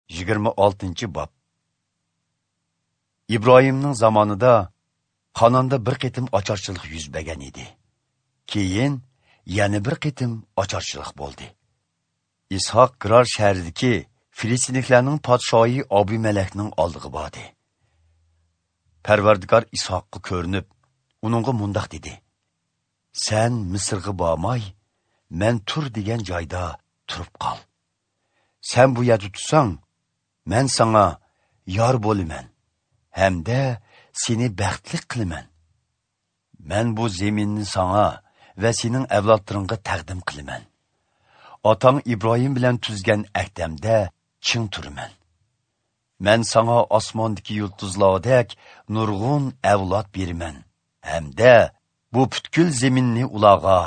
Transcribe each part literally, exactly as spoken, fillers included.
Yigirma oltinchi bob. Ibrohimning zamonida Qanonda bir qitim ocharchilik yuz bergan edi. Keyin yana bir qitim ocharchilik bo'ldi. Ishoq Girar shahridagi Filistinliklarning podshoyi Abimelekning oldiga bordi. Parvardigor Ishoqqa ko'rinib, uningga mundoq dedi: "Sen Misrga bormay, men tur degan joyda turib qol. Sen bu yerda tursang, men sana yor bo'laman hamda seni baxtli qilaman. Men bu zeminni sana va sening avlodlaringga taqdim qilaman. Otang Ibrohim bilan tuzgan ahdamda ching turaman. Men sana osmondagi yulduzlardek nurg'un avlod beraman hamda bu butkul zeminni ularga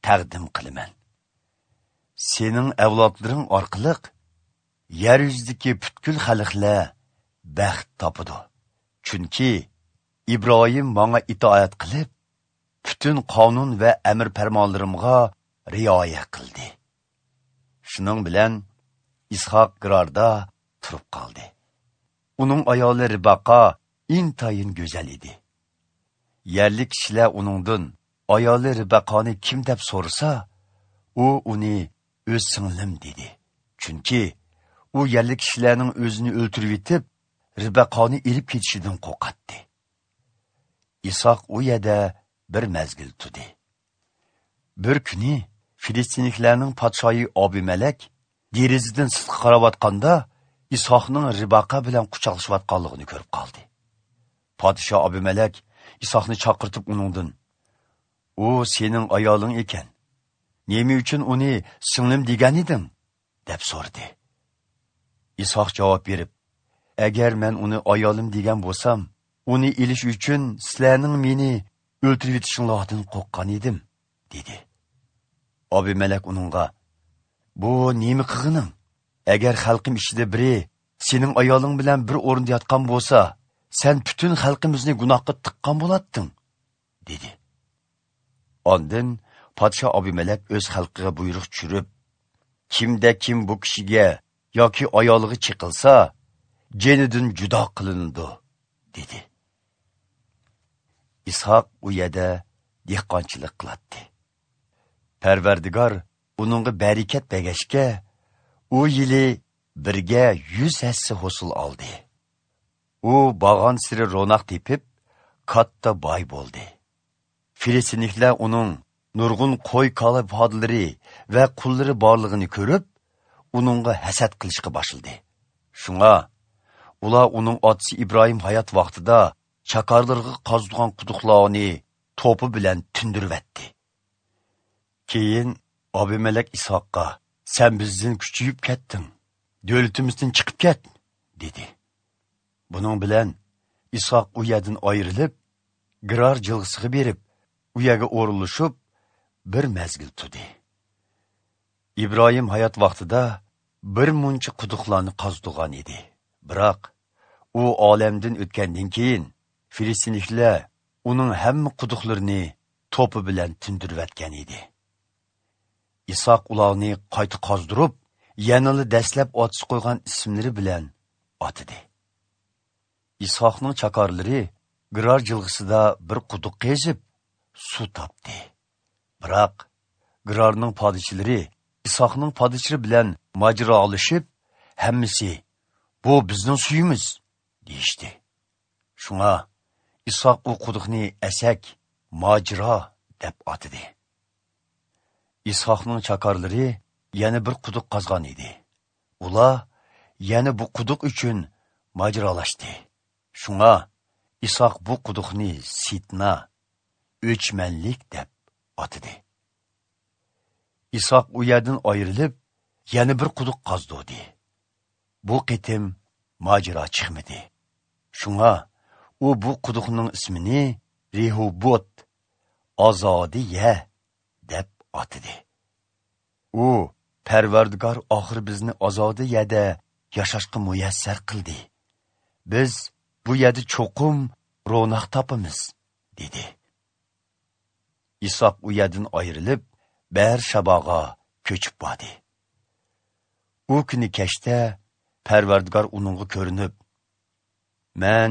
taqdim qilaman. Sening avlodlaring orqali yer yuzidagi butkul xalqlar baxt topadi. Chunki Ibrohim menga itoat qilib, butun qonun va amr farmonlarimga rioya qildi." Shuning bilan Ishoq Girarda turib qoldi. Uning ayoli Ribaqa intayin go'zal edi. Yerlik kishilar uningdan ayoli Ribaqani kim deb so'rasa, u uni o'z singlim dedi. Chunki u yerlik kishilarning o'zini o'ltirib etib, Ribaqani ilib ketishidan qo'rqatdi. Ishoq u yerda bir mezgil turdi. Bir kuni Filistinliklarning podshoyi Abimelek derazadan sirtqa qarayotganda Ishoqning Ribaqa bilan quchoqlashayotganligini ko'rib qoldi. Podsho Abimelek Ishoqni chaqirtib uningdan: "U sening ayoling ekan. Nima uchun uni singlim degan eding?" deb so'radi. Ishoq javob berib: "Agar men uni ayolim degan bo'lsam, uni ilish uchun sizlarning meni o'ltirib etishinglardan qo'rqqan edim" dedi. Abimelek uningga: "Bu nima qilganing? Agar xalqim ichida biri sening ayoling bilan bir o'rinda yotgan bo'lsa, sen butun xalqimizni gunohga tiqqan bo'latding" dedi. Ondan podsho Abimelek o'z xalqiga buyruq tushirib, kimda kim bu kishiga yoki ayoliga chiqilsa, jenidan judo qilinadi dedi. Ishoq u yerda dehqonchilik qiladi. Parvardigor uningga barakat bergachga, u yili birga yuz hassa hosil oldi. U bag'on siri ro'naq tepib, katta boy bo'ldi. Filistinliklar uning nurg'un qo'y kola podlari va qullari borlig'ini ko'rib, uningga hasad qilishga boshladi. Shunga ular uning otasi Ibrohim hayot vaqtida chakarlarga qazdigan quduqlarni to'pi bilan tindirvatdi. Keyin Abimelek Ishoqqa: "Sen bizdan kuchayib ketding, davlatimizdan chiqib ket" dedi. Buning bilan Ishoq u yerdan ayrilib, Girar jilg'isiga berib, u yerga o'rinlashib bir mezgil turdi. Ibrohim hayot vaqtida bir muncha quduqlarni qazdigan edi. Biroq u olamdan o'tgandan keyin Filistinliklar uning hamma quduqlarini to'pi bilan tindirvatgan edi. Ishoq ularni qayta qazdirib, yanada dastlab otsi qo'ygan ismlari bilan otidi. Ishoqning chakorlari Girar jilg'isida bir quduq qezib, suv topdi. Biroq Girarning podishilari Ishoqning podishilari bilan mojarolashib, hammasi "Bu bizning suyimiz" deyishdi. Shunga Ishoq u quduqni Asak, mojaro deb atidi. Ishoqning chakorlari yana bir quduq qazgan edi. Ular yana bu quduq uchun mojarolashdi. Shunga Ishoq bu quduqni Sitna, o'chmanlik deb atidi. Ishoq u yerdan ayrilib, yana bir quduq qazdi. Bu qitim mojaro chiqmadi. Shunga u bu quduqning ismini Rehubot, Ozodiya deb atidi. U Parvardigor oxir bizni ozodiyada yashashga muyassar qildi. Biz bu yerda cho'qim ro'naq topamiz dedi. Ishoq u yerdan ayrilib, Ber Shaboga ko'chib bordi. U kuni kechda Parvardigor uningga ko'rinib, "Men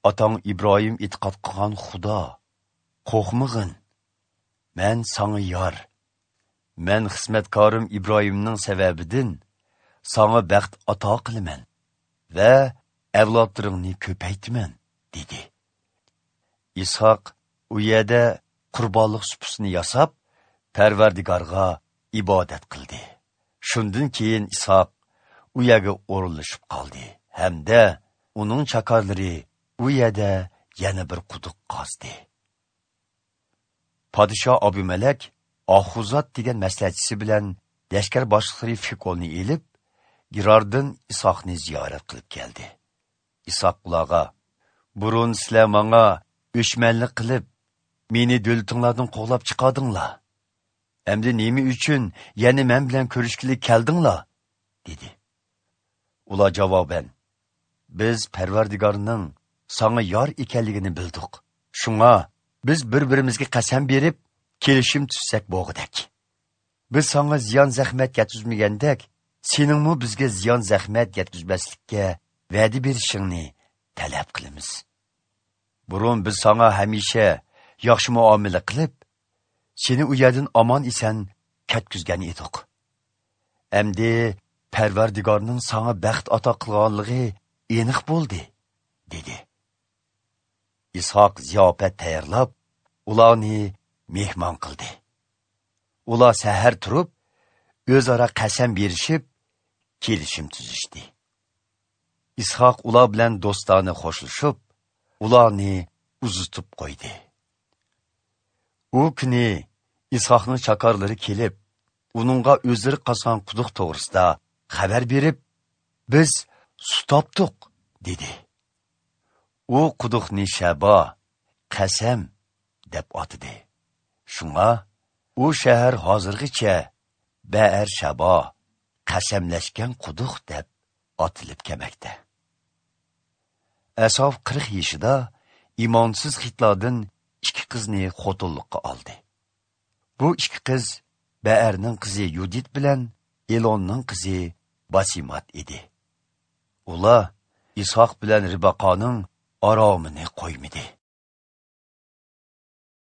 otang Ibrohim e'tiqod qilgan Xudo, qo'rqmag'in. Men sanga yor. Men xizmatkorim Ibrohimning sababidan sanga baxt ato qilaman va avlodlaringni ko'paytiraman" dedi. Ishoq u yerda qurbonlik supusini yasab, Parvardigorga ibodat qildi. Shundan keyin Ishoq u yerga o'rinlashib qoldi hamda uning chakorlari u yerda yana bir quduq qazdi. Podsho Abimelek Ahuzat degan maslahatchisi bilan lashkar boshliqlari Fikolni elib, Girardan Ishoqni ziyorat qilib keldi. Ishoq ularga: "Burun sizlar menga o'chmanlik qilib, meni davlatinglardan qo'g'lab chiqardinglar. Endi nima uchun yana men bilan ko'rishgili keldinglar?" dedi. Ular javoban: "Biz Parvardigorning sanga yor ekanligini bildik. Shunga biz bir-birimizga qasam berib, kelishim tuzsak bo'g'idak. Biz sanga ziyon zahmat yetkazmagandak, seningmi bizga ziyon zahmat yetkazmaslikka va'da berishingni talab qilamiz. Burun biz sanga hamisha yaxshi muomala qilib, seni u yerdan omon eson ketkizgan edik. Endi Parvardigorning sanga baxt ato qilganligi aniq bo'ldi" dedi. Ishoq ziyofat tayyorlab, ularni mehmon qildi. Ular sahar turib, o'zaro qasam berishib, kelishim tuzishdi. Ishoq ular bilan do'stona qo'shilishib, ularni uzatib qo'ydi. U kuni Ishoqning chakorlari kelib, uningga o'zlari qazgan quduq to'g'risida xabar berib, "Biz suv topdik" dedi. U quduqni Shabo, qasam deb atadi. Shunga u shahar hozirgacha Ba'ar Shabo, qasamlashgan quduq deb atilib kelmoqda. Asof qirq yoshida imonsiz xitlardan ikki qizni xotinlikqa oldi. Bu ikki qiz Ba'arning qizi Yudit bilan Elonning qizi Basimat edi. Ular Ishoq bilan Ribaqoning oromini qo'ymadi.